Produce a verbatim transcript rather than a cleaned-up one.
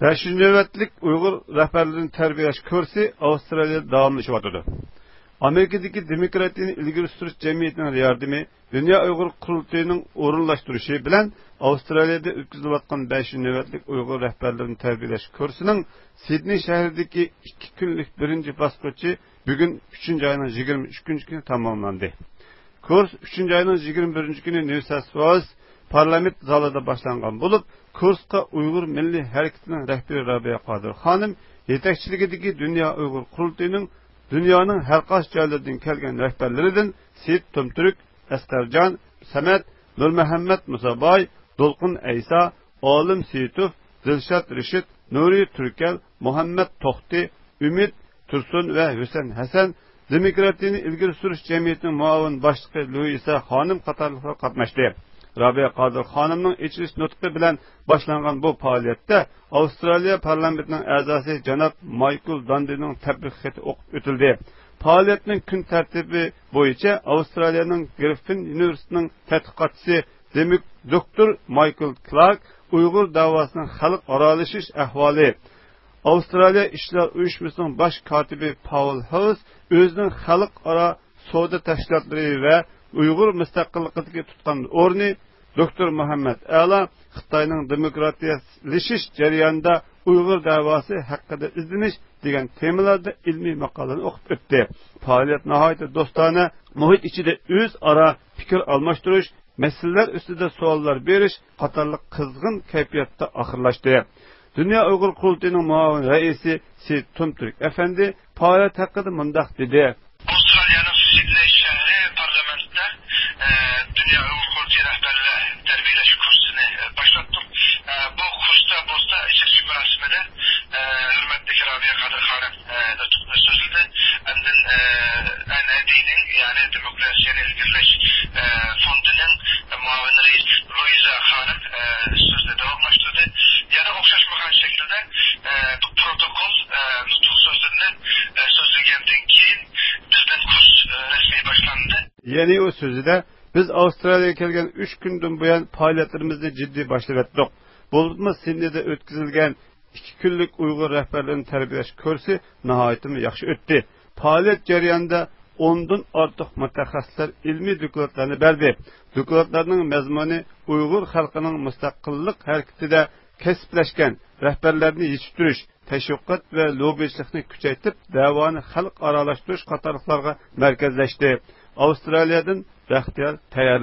بەشىنچى نۆۋەتلىك ئۇيغۇر رەھبەرلىرىنى تەربىيەلەش كۇرسى ئاۋسترالىيەدە داۋاملىشىۋاتىدۇ. ئامېرىكىدىكى دېموكراتىيىنى ئىلگىرى سۈرۈش جەمئىيىتىنىڭ ياردىمى، دۇنيا ئۇيغۇر قۇرۇلتىيىنىڭ ئورۇنلاشتۇرۇشى بىلەن ئاۋسترالىيەدە ئۆتكۈزۈلۈۋاتقان بەشىنچى نۆۋەتلىك ئۇيغۇر رەھبەرلىرىنى تەربىيەلەش كۇرسىنىڭ سىدنېي شەھىرىدىكى ئىككى كۈنلۈك بىرىنچى باسقۇچى بۈگۈن، ئۈچىنچى ئاينىڭ يىگىرمە ئۈچىنچى كۈنى تاماملاندى. كۇرس ئۈچىنچى ئاينىڭ يىگىرمە بىرىنچى كۈنى نيۇ ساوس ۋېلس پارلامېنت زالىدا باشلانغان بولۇپ، كۇرسقا ئۇيغۇر مىللىي ھەرىكىتىنىڭ رەھبىرى رابىيە قادىر خانىم يېتەكچىلىكىدىكى دۇنيا ئۇيغۇر قۇرۇلتىيىنىڭ دۇنيانىڭ ھەر قايسى جايلىرىدىن كەلگەن رەھبەرلىرىدىن سېيىت تۇمتۈرك، ئەسقەرجان سەمەت، نۇرمۇھەممەت مۇساباي، دولقۇن ئەيسا، ئالىم سېيىتوف، دىلشات رېشىت، نۇرى تۈركەل، مۇھەممەت توختى، ئۈمىد تۇرسۇن ۋە ھۈسەن ھەسەن، دېموكراتىيىنى ئىلگىرى سۈرۈش جەمئىيىتىنىڭ مۇئاۋىن باشلىقى لۇئىسا خانىم قاتارلىقلار قاتناشتى. رابىيە قادىر خانىمنىڭ ئېچىلىش نۇتقى بىلەن باشلانغان بۇ پائالىيەتتە ئاۋسترالىيە پارلامېنتىنىڭ ئەزاسى جاناب مايكل داندىنىڭ تەبرىك خېتى ئوقۇپ ئۆتۈلدى. پائالىيەتنىڭ كۈن تەرتىپى بويىچە ئاۋسترالىيەنىڭ گرىففىن ئۇنىۋېرسىتېتىنىڭ تەتقىقاتچىسى دېمىك دوكتور مايكل كلارك ئۇيغۇر دەۋاسىنىڭ خەلقئارالىشىش ئەھۋالى، ئاۋسترالىيە ئىشلار ئۇيۇشمىسىنىڭ باش كاتىپى پاۋېل ھاۋس ئۆزىنىڭ خەلقئارا سودا تەشكىلاتلىرى ۋە ئۇيغۇر مۇستەقىللىقىدىكى تۇتقان ئورنى، دوكتور مۇھەممەد ئەلا خىتاينىڭ دېموكراتىيەلىشىش جەريانىدا ئۇيغۇر دەۋاسى ھەققىدە ئىزدىنىش دېگەن تېمىلاردا ئىلمىي ماقالىنى ئوقۇپ ئۆتتى. پائالىيەت ناھايىتى دوستانە مۇھىت ئىچىدە ئۆزئارا پىكىر ئالماشتۇرۇش، مەسىلىلەر ئۈستىدە سوئاللار بېرىش قاتارلىق قىزغىن كەيپىياتتا ئاخىرلاشتى. دۇنيا ئۇيغۇر قۇرۇلتىيىنىڭ مۇئاۋىن رەئىسى سېيىت تۇمتۈرك ئەپەندى پائالىيەت ھەققىدە مۇنداق دېدى. ئاۋسترالىيەنىڭ سىدنېي شەھىرى پارلامېنتىدا، ئە، دۇنيا ئۇيغۇر قۇرۇلتىيى رەھبەرلەر تەربىيەلەش كۇرسىنى، ئە، باشلاتتۇق. ئە، بۇ كۇرستا بولسا ئېچىلىش مۇراسىمىدا، ئە، ھۆرمەتلىك رابىيە قادىر خانىم، ئە، نۇتۇقنى سۆزلىدى. ئاندىن، ئە، ئەن ئەدىنىڭ، يەنى دېموكراتىيەنى ئىلگىرىلەش، ئە، فوندىنىڭ مۇئاۋىن رەئىس لۇئىزا خانىم، ئە، سۆزنى داۋاملاشتۇردى. يەنە ئوخشاشمىغان شەكىلدە، ئە، بۇ پروتوكول، ئە، نۇتۇق سۆزلىرىنى، ئە، سۆزلىگەندىن كېيىن بىردىن كۇرس، ئە، رەسمىي باشلاندى. يەنى ئۇ سۆزىدە، بىز ئاۋسترالىيەگە كەلگەن ئۈچ كۈندىن بۇيان پائالىيەتلىرىمىزنى جىددىي باشلىۋەتتۇق. بولۇپمۇ سىدنېيدا ئۆتكۈزۈلگەن ئىككى كۈنلۈك ئۇيغۇر رەھبەرلىرىنى تەربىيەلەش كۇرسى ناھايىتىمۇ ياخشى ئۆتتى. پائالىيەت جەريانىدا ئوندىن ئارتۇق مۇتەخەسسىسلەر ئىلمىي دوكلاتلارنى بەردى. دوكلاتلارنىڭ مەزمۇنى ئۇيغۇر خەلقىنىڭ مۇستەقىللىق ھەرىكىتىدە كەسىپلەشكەن رەھبەرلەرنى يېتىشتۈرۈش، تەشۋىقات ۋە لوببىچىلىقنى كۈچەيتىپ، دەۋانى خەلقئارالاشتۇرۇش قاتارلىقلارغا مەركەزلەشتى. ئاۋسترالىيەدىن بەختىيار تەييارلىدى.